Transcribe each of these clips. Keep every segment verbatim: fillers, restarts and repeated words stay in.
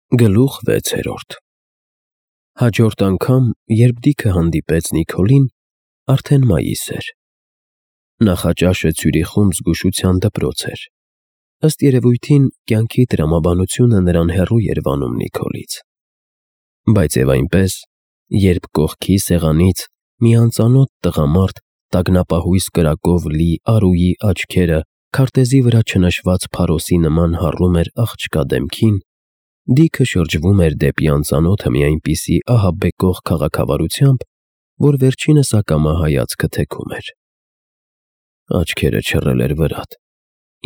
Գլուխ վեցերորդ Հաջորդ անգամ, երբ Դիքը հանդիպեց Նիքոլին, արդեն մայիս էր։ Նախաճաշը Ցյուրիխում զգուշության դպրոց էր։ Ըստ երևույթին, կյանքի տրամաբանությունը նրան հեռու էր վանում Նիքոլից։ Բայց և այնպես, երբ կողքի սեղանից մի անծանոթ տղամարդ տագնապահույս կրակով լի արուի աչքերը քարտեզի վրա չնշված փարոսի նման հառում էր աղջկա դեմքին, Դիքը շրջվում էր դեպի անծանոթը մի այնպիսի ահաբեկող քաղաքավարությամբ, որ վերջինս ակամա հայացքը թեքում էր։ Աչքերը չռել էր վրատ,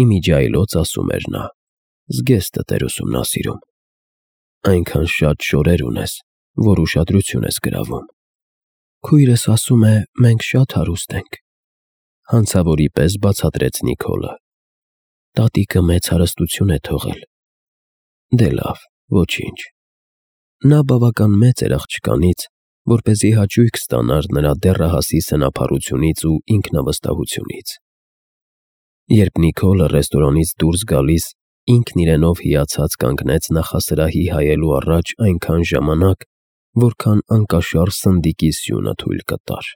իմիջիայլոց ասում էր նա, զգեստդ էր ուսումնասիրում։ Այնքան շատ շորեր ունես, որ ուշադրություն ես գրավում։ Քույրս ասում է, մենք շատ հարուստ ենք, հանցավորի պես բացատրեց Նիքոլը։ Տատիկը մեծ հարստություն է թողել։ Դե լավ, ոչինչ։ Նա բավական մեծ էր աղջկանից, որպեսզի հաճույք ստանար նրա դեռահասի սնափառությունից ու ինքնավստահությունից։ Երբ Նիքոլը ռեստորանից դուրս գալիս ինքն իրենով հիացած կանգնեց նախասրահի հայելու առաջ այնքան ժամանակ, որքան անկաշառ սնդիկի սյունը թույլ կտար։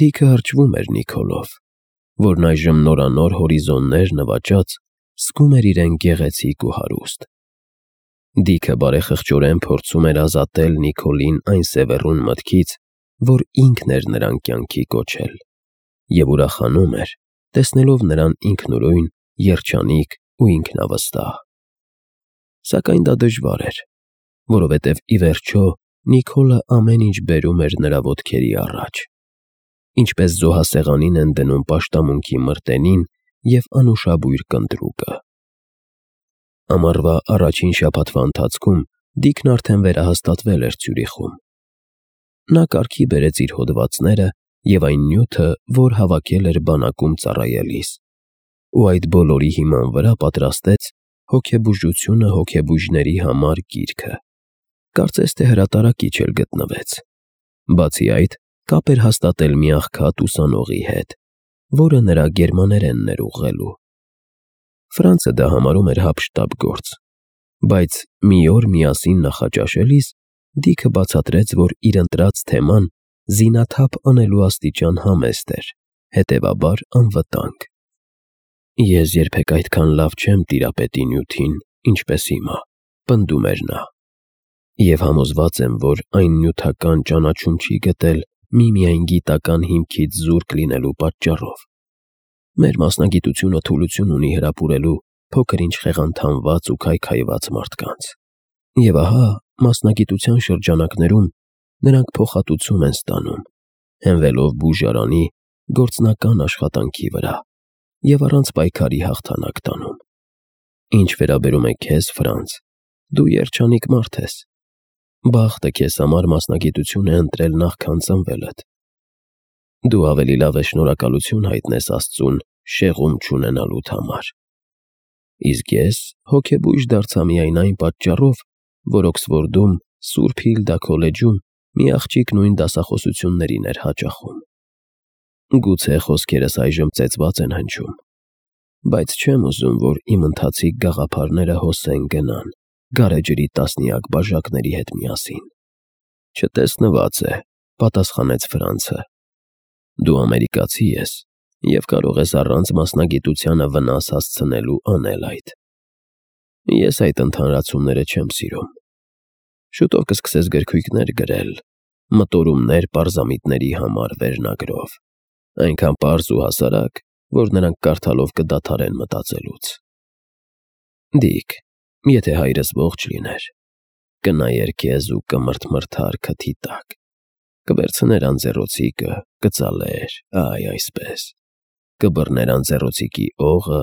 Դիքը հրճվում էր Նիքոլով, որն այժմ նորանոր հորիզոններ նվաճած զգում էր իրեն գեղեցիկ ու հարուստ։ Դիքը բարեխղճորեն փորձում էր ազատել Նիքոլին այն սևեռուն մտքից, որ ինքն էր նրան կյանքի կոչել, և ուրախանում էր, տեսնելով նրան ինքնուրույն, երջանիկ ու ինքնավստահ։ Սակայն դա դժվար էր, որովհետև ի վերջո Նիքոլը ամեն ինչ բերում էր նրա ոտքերի առաջ, ինչպես զոհասեղանին են դնում պաշտամունքի մրտենին և անուշաբույր կնդրուկը։ Ամառվա առաջին շաբաթվա ընթացքում Դիքն արդեն վերահաստատվել էր Ցյուրիխում։ Նա կարգի բերեց իր հոդվածները և այն նյութը, որ հավաքել էր բանակում ծառայելիս, ու այդ բոլորի հիման վրա պատրաստեց «Հոգեբուժությունը հոգեբույժների համար» գիրքը։ Կարծես թե հրատարակիչ էլ գտնվեց։ Բացի այդ, կապ էր հաստատել մի աղքատ ուսանողի հետ, որը նրա գերմաներենն էր ուղղելու։ Ֆրանցը դա համարում էր հափշտապ գործ, բայց մի օր միասին նախաճաշելիս Դիքը բացատրեց, որ իր ընտրած թեման զինաթափ անելու աստիճան համեստ էր, հետևաբար անվտանգ։ Ես երբեք այդքան լավ չեմ տիրապետի նյութին, ինչպես հիմա, պնդում էր նա, և համոզված եմ, որ այն նյութական ճանաչում չի գտել միմիայն գիտական հիմքից զուրկ լինելու պատճառով։ Մեր մասնագիտությունը թուլություն ունի հրապուրելու փոքր-ինչ խեղանթանված ու քայքայված մարդկանց։ Եվ ահա, մասնագիտության շրջանակներում նրանք փոխհատուցում են ստանում, հենվելով բուժարանի գործնական աշխատանքի վրա և առանց պայքարի հաղթանակ տանում։ Ինչ վերաբերում է քեզ, Ֆրանց, դու երջանիկ մարդ ես։ Բախտը քեզ համար մասնագիտություն է ընտրել նախքան ծնվելդ։ Դու ավելի լավ է շնորհակալություն հայտնես Աստծուն շեղում չունենալուդ համար։ Իսկ ես հոգեբույժ դարձա միայն այն պատճառով, որ Օքսֆորդում Սուրբ Հիլդա քոլեջում մի աղջիկ նույն դասախոսություններին էր հաճախում։ Գուցե խոսքերս այժմ ծեծված են հնչում, բայց չեմ ուզում, որ իմ ընթացիկ գաղափարները հոսեն գնան գարեջրի տասնյակ բաժակների հետ միասին։ Չտեսնված է, պատասխանեց Ֆրանցը։ Դու ամերիկացի ես և կարող ես առանց մասնագիտությանը վնաս հասցնելու անել այդ։ Ես այդ ընդհանրացումները չեմ սիրում։ Շուտով կսկսես գրքույկներ գրել, մտորումներ պարզամիտների համար վերնագրով, այնքան պարզ ու հասարակ, որ նրանք կարդալով կդադարեն մտածելուց։ Դիք, եթե հայրս ողջ լիներ, կնայեր քեզ ու կմրթմրթար քթի տակ, կվերցներ անձեռոցիկը, կծալեր, այ այսպես, կբռներ անձեռոցիկի օղը,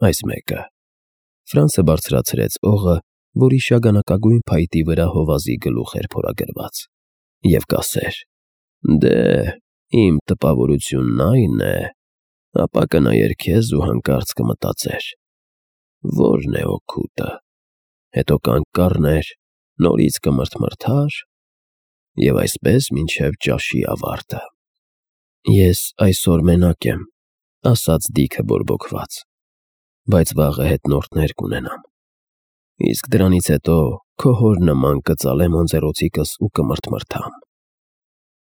այս մեկը։ Ֆրանցը բարձրացրեց օղը, որի շագանակագույն փայտի վրա հովազի գլուխ էր փորագրված, և կասեր. «Դե, իմ տպավորությունն այն է», ապա կնայեր քեզ ու հանկարծ կմտածեր. «Ո՞րն է օգուտը», հետո կանգ կառներ, նորից կմրթմրթար և այսպես մինչև ճաշի ավարտը։ Ես այսօր մենակ եմ, ասաց Դիքը բորբոքված, բայց վաղը հետնորդներ կունենամ։ Իսկ դրանից հետո քո հոր նման կծալեմ անձեռոցիկս ու կմրթմրթամ։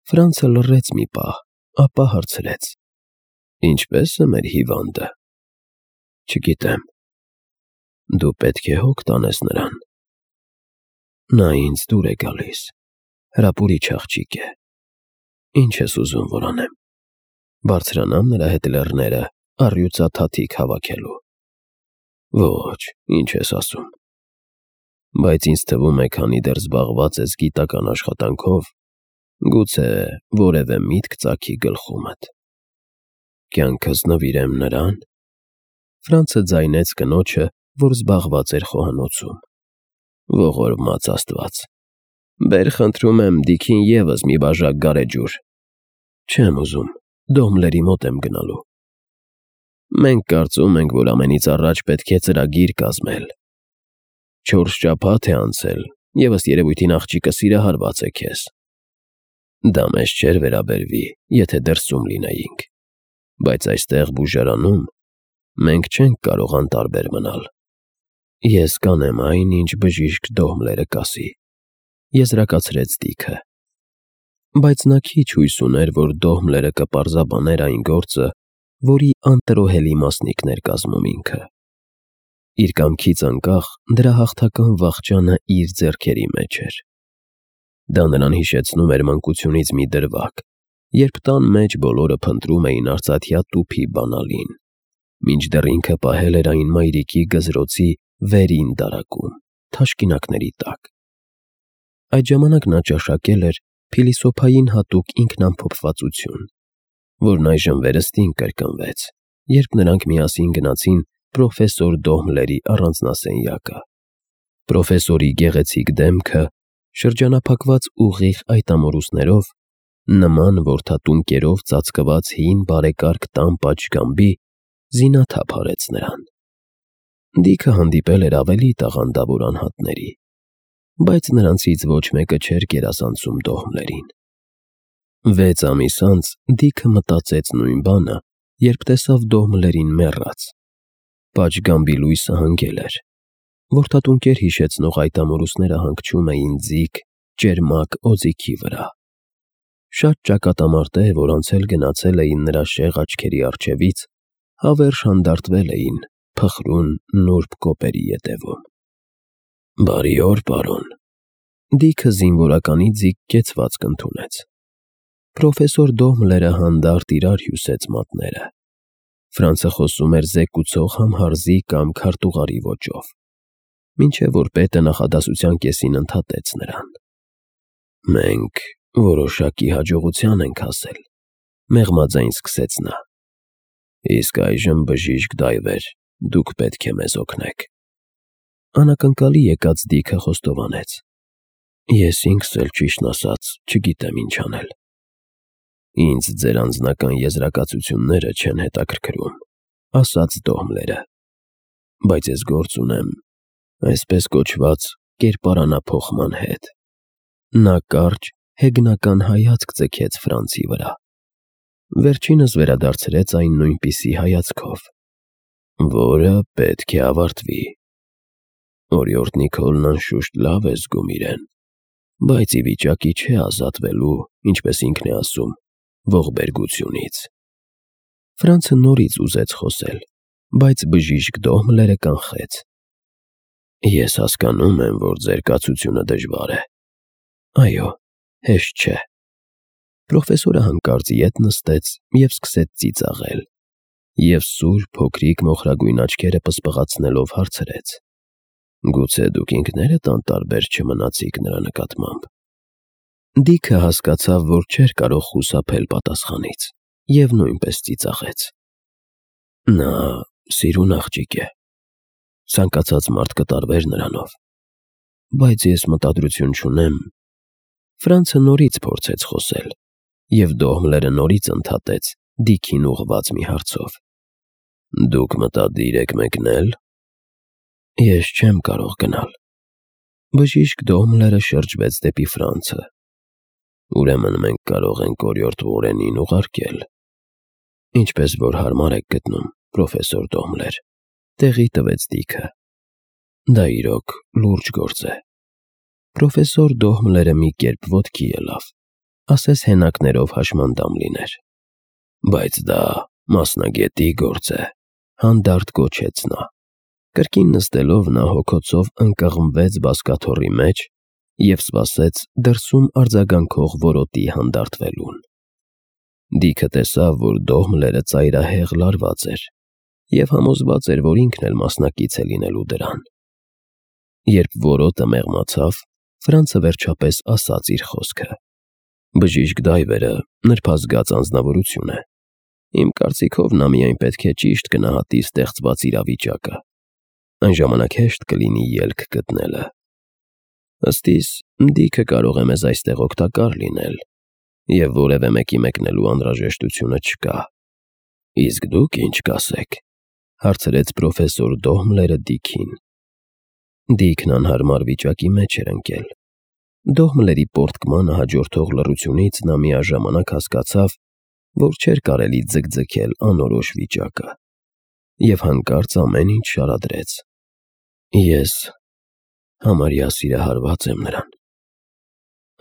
Ֆրանցը լռեց մի պահ, ապա հարցրեց. Ինչպե՞ս է մեր հիվանդը։ Չգիտեմ։ Դու պետք է հոգ տանես նրան։ Նա ինձ դուր է գալիս, հրապուրիչ աղջիկ է։ Ինչ ես ուզում, որ անեմ։ Բարձրանամ նրա հետ լեռները առյուծաթաթիկ հավաքելու։ Ոչ, ինչ ես ասում։ Բայց ինձ թվում է, քանի դեռ զբաղված ես գիտական աշխատանքով, գուցե որևէ միտք ծագի գլխումդ։ Կյանքս նվիրեմ նրան։ Ֆրանցը ձայնեց կնոջը, որ զբաղված էր խոհանոցում։ Ողորմած Աստված։ Բեր խնդրում եմ դիքին ևս մի բաժակ գարեջուր։ Չեմ ուզում, Դոհմլերի մոտ եմ գնալու։ Մենք կարծում ենք, որ ամենից առաջ պետք է ծրագիր կազմել։ Չորս շաբաթ է անցել, ևս երևույթին աղջիկը սիրահարված է քեզ։ Դա մեզ չէր վերաբերվի, եթե դրսում լինեինք, բայց այստեղ բուժարանում մենք չենք կարող անտարբեր մնալ։ Ես կանեմ այն, ինչ բժիշկ Դոհմլերը կասի, եզրակացրեց Դիքը։ Բայց նա քիչ հույս ուներ, որ Դոհմլերը կպարզաբաներ այն գործը, որի անտրոհելի մասնիկն էր կազմում ինքը։ Իր կամքից անկախ դրա հաղթական վախճանը իր ձեռքերի մեջ էր։ Դա նրան հիշեցնում էր մանկությունից մի դրվագ, երբ տան մեջ բոլորը փնտրում էին արծաթյա տուփի բանալին, մինչդեռ ինքը պահել էր այն մայրիկի գզրոցի վերին դարակում, թաշկինակների տակ։ Այդ ժամանակ նա ճաշակել էր փիլիսոփային հատուկ ինքնամփոփվածություն, որն այժմ վերստին կրկնվեց, երբ նրանք միասին գնացին պրոֆեսոր Դոհմլերի առանձնասենյակը։ Պրոֆեսորի գեղեցիկ դեմքը, շրջանափակված ուղիղ այտամորուսներով, նման որդատուն կերով ծածկված հին բարեկարգ տան պատշգամբի, զինաթափ արեց նրան։ Դիքը հանդիպել էր ավելի տաղանդավոր անհատների, բայց նրանցից ոչ մեկը չէր գերազանցում Դոհմլերին։ Վեց ամիս անց Դիքը մտածեց նույն բանը, երբ տեսավ Դոհմլերին մեռած։ Պատշգամբի լույսը հանգել էր։ Որդատունկեր հիշեցնող այտամորուսները հանգչում էին ձիգ, ճերմակ օձիքի վրա։ Շատ ճակատամարտեր, որ անցել գնացել էին նրա շեղ աչքերի առջևից, հավերժ հանդարտվել էին փխրուն նուրբ կոպերի ետևում։ Բարի օր, պարոն։ Դիքը զինվորականի ձիգ կեցվածք ընդունեց։ Պրոֆեսոր Դոհմլերը հանդարտ իրար հյուսեց մատները։ Ֆրանցը խոսում էր զեկուցող համհարզի կամ քարտուղարի ոճով, մինչև որ պետը նախադասության կեսին ընդհատեց նրան։ Մենք որոշակի հաջողության ենք հասել, մեղմաձայն սկսեց նա։ Իսկ այժմ բժիշկ Դայվեր, դուք պետք է մեզ օգնեք։ Անակնկալի եկած Դիքը խոստովանեց. Ես ինքս էլ ճիշտն ասած չգիտեմ ինչ անել։ Ինձ ձեր անձնական եզրակացությունները չեն հետաքրքրում, ասաց Դոհմլերը, բայց ես գործ ունեմ այսպես կոչված կերպարանափոխման հետ։ Նա կարճ, հեգնական հայացք ձգեց Ֆրանցի վրա։ Վերջինս վերադարձրեց այն նույնպիսի հայացքով, որը պետք է ավարտվի։ Օրիորդ Նիկոլն անշուշտ լավ է զգում իրեն, բայց ի վիճակի չէ ազատվելու, ինչպես ինքն է ասում, ողբերգությունից։ Ֆրանցը նորից ուզեց խոսել, բայց բժիշկ Դոհմլերը կանխեց։ Ես հասկանում եմ, որ ձեր կացությունը դժվար է։ Այո, հեշտ չէ։ Պրոֆեսորը հանկարծ ետ նստեց և սկսեց ծիծաղել, և սուր փոքրիկ մոխրագույն աչքերը պսպղացնելով հարցրեց. Գուցե դուք ինքներդ անտարբեր չմնացիք նրա նկատմամբ։ Դիքը հասկացավ, որ չէր կարող խուսափել պատասխանից, և նույնպես ծիծաղեց։ Նա սիրուն աղջիկ է։ Ցանկացած մարդ կտարվեր նրանով։ Բայց ես մտադրություն չունեմ։ Ֆրանցը նորից փորձեց խոսել, և Դոհմլերը նորից ընդհատեց Դիքին ուղղված մի հարցով. Դուք մտադիր եք մեկնել։ Ես չեմ կարող գնալ։ Բժիշկ Դոհմլերը շրջվեց դեպի Ֆրանցը։ Ուրեմն մենք կարող ենք օրիորդ Ուորենին ուղարկել։ Ինչպես որ հարմար եք գտնում, պրոֆեսոր Դոհմլեր, տեղի տվեց Դիքը։ Դա իրոք լուրջ գործ է։ Պրոֆեսոր Դոհմլերը մի կերպ ոտքի ելավ, ասես հենակներով հաշմանդամ լիներ։ Բայց դա մասնագետի գործ է, հանդարտ գոչեց նա։ Կրկին նստելով նա հոգոցով ընկղմվեց բազկաթոռի մեջ և սպասեց դրսում արձագանքող որոտի հանդարտվելուն։ Դիքը տեսավ, որ Դոհմլերը ծայրահեղ լարված էր և համոզված էր, որ ինքն էլ մասնակից է լինելու դրան։ Երբ որոտը մեղմացավ, Ֆրանցը վերջապես ասաց իր խոսքը. «Բժիշկ Դայվերը նրբազգաց անձնավորություն է։ Իմ կարծիքով նա միայն պետք է ճիշտ գնահատի ստեղծված իրավիճակը։ Այն ժամանակ հեշտ կլինի ելք գտնելը։ Ըստ իս, Դիքը կարող է մեզ այստեղ օգտակար լինել, և որևէ մեկի մեկնելու անհրաժեշտությունը չկա»։ «Իսկ դուք ինչ կասեք», հարցրեց պրոֆեսոր Դոհմլերը Դիքին։ Դիքն անհարմար վիճակի մեջ էր ընկել։ Դոհմլերի պոռթկմանը հաջորդող լռությունից նա միաժամանակ հասկացավ, որ չէր կարելի ձգձգել անորոշ վիճակը, և հանկարծ ամեն ինչ շարադրեց։ «Ես համարյա սիրահարված եմ նրան։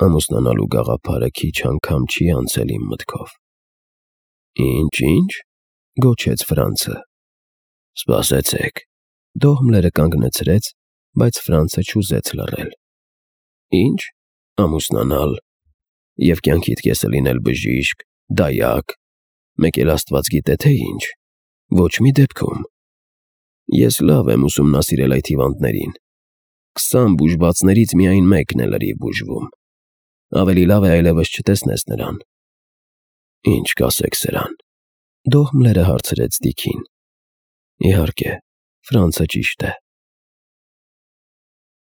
Ամուսնանալու գաղափարը քիչ անգամ չի անցել իմ մտքով»։ «Ինչ, ինչ» գոչեց Ֆրանցը։ «Սպասեցեք»։ Դոհմլերը կանգնեցրեց, բայց Ֆրանցը չուզեց լռել։ «Ինչ, ամուսնանալ, և կյանքիդ կեսը լինել բժիշկ, դայակ, մեկ էլ Աստված գիտե, թե ինչ։ Ոչ մի դեպքում։ Ես լավ եմ ուսումնասիրել այդ հիվանդներին։ Քսան բուժվածներից միայն մեկն է լրիվ բուժվում։ Ավելի լավ է այլևս չտեսնես նրան»։ «Ինչ կասեք սրան»։ Դոհմլերը հարցրեց Դիքին։ «Իհարկե, Ֆրանցը ճիշտ է։